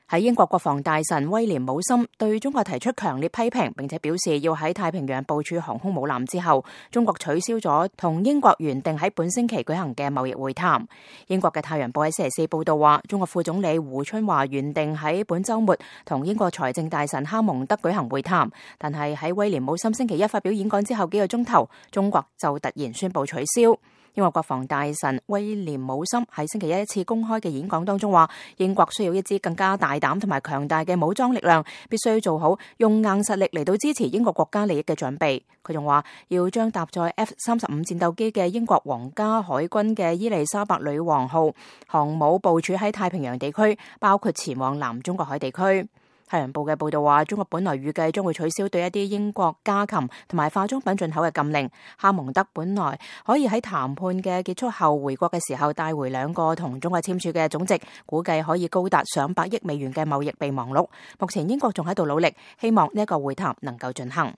喺英國國防大臣威廉姆森對中國提出強烈批評，並且表示要喺太平洋部署航空母艦之後，中國取消咗同英國原定喺本星期舉行嘅貿易會談。英國嘅《太陽報》喺星期四報道話，中國副總理胡春華原定喺本週末同英國財政大臣哈蒙德舉行會談，但係喺威廉姆森星期一發表演講之後幾個鐘頭，中國就突然宣布取消。英國國防大臣威廉姆森喺星期一次公開嘅演講當中話，英國需要一支更加大膽同埋強大嘅武裝力量，必須做好用硬實力嚟到支持英國國家利益嘅準備。佢仲話要將搭載 F-35戰鬥機嘅英國皇家海軍嘅伊麗莎白女王號航母部署喺太平洋地區，包括前往南中國海地區。太陽報嘅報道話，中國本來預計將會取消對一啲英國家禽同埋化妝品進口嘅禁令。哈蒙德本來可以喺談判嘅結束後回國嘅時候帶回2個同中國簽署嘅總值估計可以高達上百億美元嘅貿易備忘錄。目前英國仲喺度努力，希望呢一個會談能夠進行。